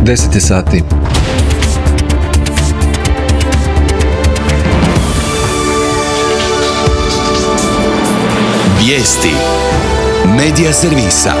10 sati. Vijesti Medija servisa.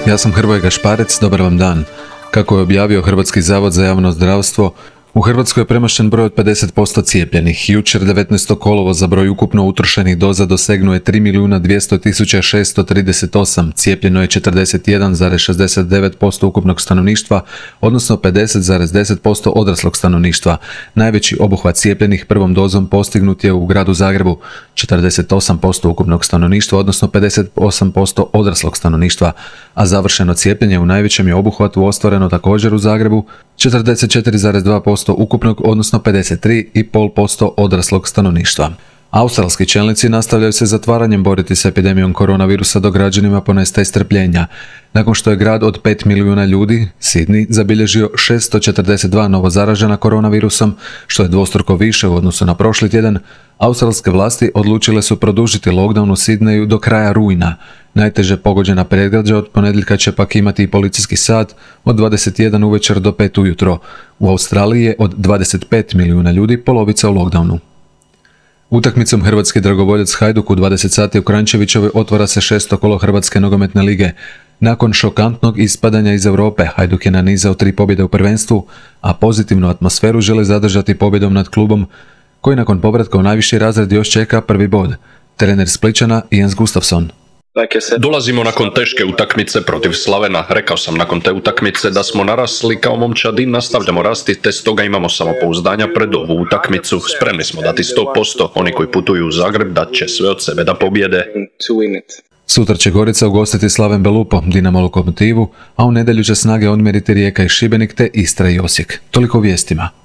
Ja sam Hrvoje Gašparec, dobar vam dan. Kako je objavio Hrvatski zavod za javno zdravstvo, u Hrvatskoj je premašen broj od 50% cijepljenih. Jučer 19. kolovoza broj ukupno utrošenih doza dosegnuo je 3.200.638, cijepljeno je 41,69% ukupnog stanovništva, odnosno 50,10% odraslog stanovništva. Najveći obuhvat cijepljenih prvom dozom postignut je u gradu Zagrebu, 48% ukupnog stanovništva, odnosno 58% odraslog stanovništva, a završeno cijepljenje u najvećem je obuhvatu ostvareno također u Zagrebu, 44,2% ukupnog, odnosno 53,5% odraslog stanovništva. Australski čelnici nastavljaju se zatvaranjem boriti s epidemijom koronavirusa dok građanima ponestaje strpljenja. Nakon što je grad od 5 milijuna ljudi, Sydney, zabilježio 642 novo zaražena koronavirusom, što je dvostruko više u odnosu na prošli tjedan, australske vlasti odlučile su produžiti lockdown u Sydneyu do kraja rujna. Najteže pogođena predgrađa od ponedjeljka će pak imati i policijski sat od 21 uvečer do 5 ujutro. U Australiji je od 25 milijuna ljudi polovica u lockdownu. Utakmicom hrvatski dragovoljac Hajduk u 20 sati u Kranjčevićevoj otvara se 6. kolo Hrvatske nogometne lige. Nakon šokantnog ispadanja iz Europe, Hajduk je nanizao 3 pobjede u prvenstvu, a pozitivnu atmosferu žele zadržati pobjedom nad klubom, koji nakon povratka u najviši razred još čeka prvi bod. Trener Splićana Jens Gustafsson. Dolazimo nakon teške utakmice protiv Slavena. Rekao sam nakon te utakmice da smo narasli kao momčad i nastavljamo rasti, te stoga imamo samopouzdanja pred ovu utakmicu. Spremni smo dati 100%. Oni koji putuju u Zagreb dat će sve od sebe da pobjede. Sutra će Gorica ugostiti Slaven Belupo, Dinamo Lokomotivu, a u nedjelju će Snage odmjeriti Rijeka i Šibenik te Istra i Osijek. Toliko o vijestima.